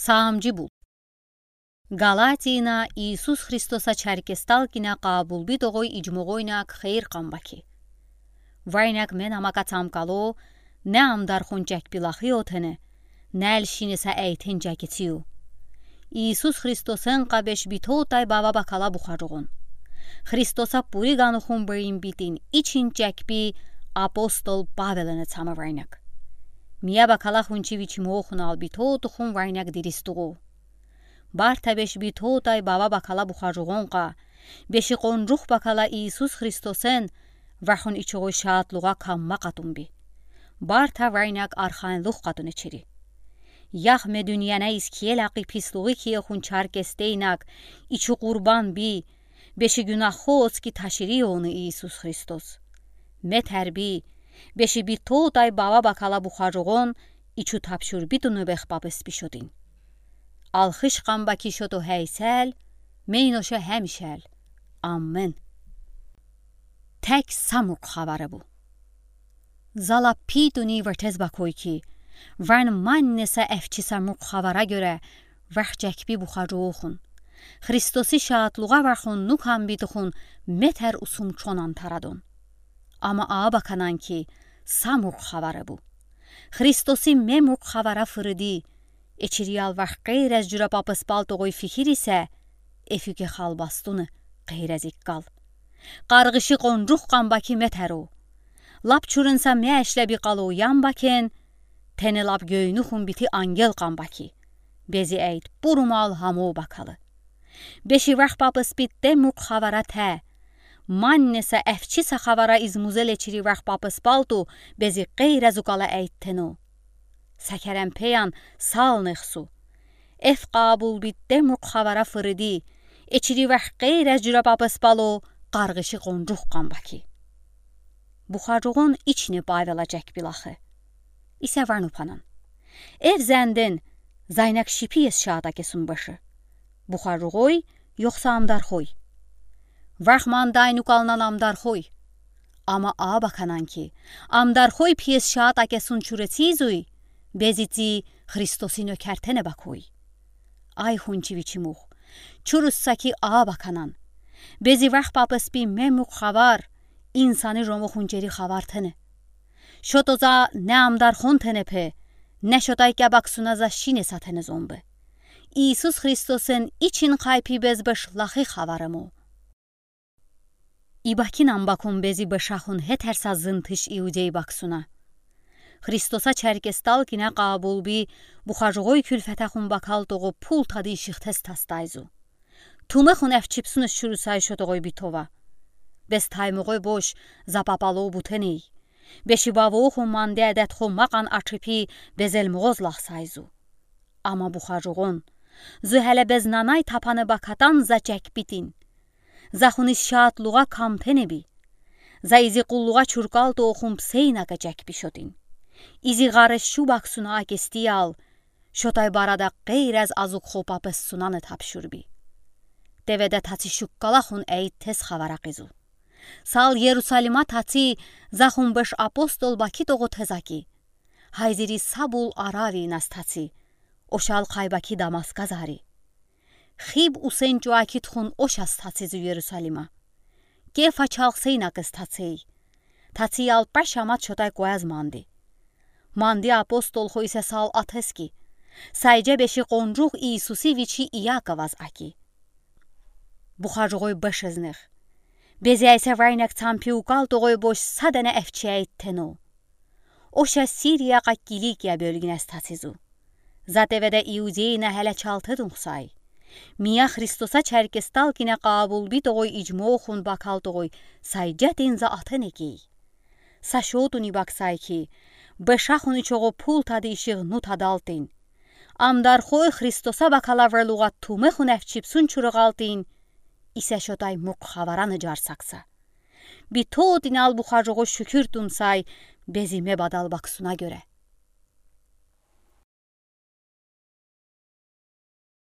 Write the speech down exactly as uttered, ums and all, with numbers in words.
Саамжи бул. Галатийна Иисус Христоса чаркестал кине къабулби тоғой ижмоғойнак хийир къамбаки. Вайнак мен амака цамкало, не амдархун чакпилахи отене, не элшинеса эйтен чакицию. Иисус Христосен къабеш битотай Баба бакала бухажуғун. Христоса пури ганухун бейин битин ичин чакпи апостол Павелене цама вайнак. Мия бакала хунчи вичимохунал битотухун вайнак диристуғу. Барта беш битотай Баба бакала бухажуғунқа, беши къонжух бакала Иисус Христосен, вахун ичуғу шаатлуға камма къатунби. Барта вайнак арханлух къатуне чири. Яхме дуниене искиелакъи пислуғи киехун чаркестейнак, ичу къурбан би, беши гюнаххо оцки ташири оны Иисус Христос. Метерби, беши битотай Баба бакала бухажуғун, ичу тапшурби тунубех папеспи шотин. Алхыш къамбаки шото хейсел, мейноша хемишел. Аммен. Тек са мурх хаваре бу. Зала пи туни ватез бакой ки, ван маннеса эфчиса мурх хавара гёре, вах чакпи бухажуғухун. Христоси шаатлуға вахун нукамбитухун метер усум чонан тарадон. Ама а баканан ки, са мурх хаваре бу. Христоси ме мурх хавара фырыди, эчириял вах къейрез жура папеспал тоғой фикир исе, эфюке халбастуны къейрез иккал. Къарғыши къонжух къамбаки метеру. Лап чурынса ме эшлеби къалу ямбакен, тене лап гёйнухун бити ангел къамбаки. Бези эйт пурумал хамо бакалы. Беши вах папеспи те мурх хавара те. Маннеса эфчиса хавара из музеле чири вах папеспалту, бези къейрез укала эйттену. Са керен пеян салнех су. Эф къабулби те мурх хавара фырыди, эчири вах къейрез жура папеспалу, къарғыши къонжух къамбаки. Бухажуғун ичне Павела чакпилахы. Исе вану панан. Эф зенден, зайнак шипи ес шаата кесун башы. Бухажуғой, йохса амдархой. Вах мандай нукалнан амдархой. Ама а баканан ки, амдархой пи ес шаата кесун чурецизуй, бези ци Христоси нёкертене бакой. Ай хунчи вичимух. Чурусса ки а баканан. Бези вах папеспи ме мурх хавар, инсани жомохун чери хавар тене. Шото за не амдархун тене пе, не шотай кябаксуна за шинеса тене зомбе. Иисус Христосен ичин хайпи безбеш лахи хаваре му. Ибакинан бакун бези бешахун хетерса зынтыш иудей баксуна. Христоса чаркестал кине къабулби бухажуғой кюлфетахун бакал тоғо пул тадийшихтез тастайзу. Тумехун эфчипсуныз чурусай шотоғой битова. Бес таймоғой бош за папало бутеней. Беши бавохун манде адетхо мақан ачипи безелмоғоз лахсайзу. Ама бухажуғун. Зу хеле без нанай тапаны бакатан за чакпитин. Захуниз шаатлуға камтенеби. За изи къуллуға чуркал тоохун псейнака чакпи шотин. Изи ғареш шу баксуна акестиял, шотай барада къейрез азук хопа пессунаны тапшурби. Теведе таци шуккалахун эйт тез хавара къизу. Сал Ерусалима таци захун беш апостол баки тоғо тез аки. Хайзири сабул аравинас таци. Ошал хайбаки Дамаска зари. Хиб усен чуаки тхун ошас тацизу Ерусалима. Кефа чалхсейнакес тацей. Тациял пашамат шотай куаз манди. Манди апостол хойсе сал атески. Сайже беши къонжух Иисуси вичи Иаковаз аки. Бухажуғой бешезнех. Безяйсе вайнак цампи укал тоғой бош садене эфчей тено. Оша Сирияқа Киликия бёлгинас тацизу. За теведе Иудейна хеле чалтыдунхсай. Мия Христоса чаркестал кине къабулби тоғой ижмохун бакал тоғой сайжатин за атенекей. Са шотуни баксай ки, бешахуни чоғо пул тадийшиғ ну тадалтин. Амдархой Христоса бакала верлуға тумехун эфчипсун чурығалтин. Исе шотай муқ хавараны жарсакса. Би тоотинал бухажоғо шүкюр тунсай, безиме бадал баксуна гёре.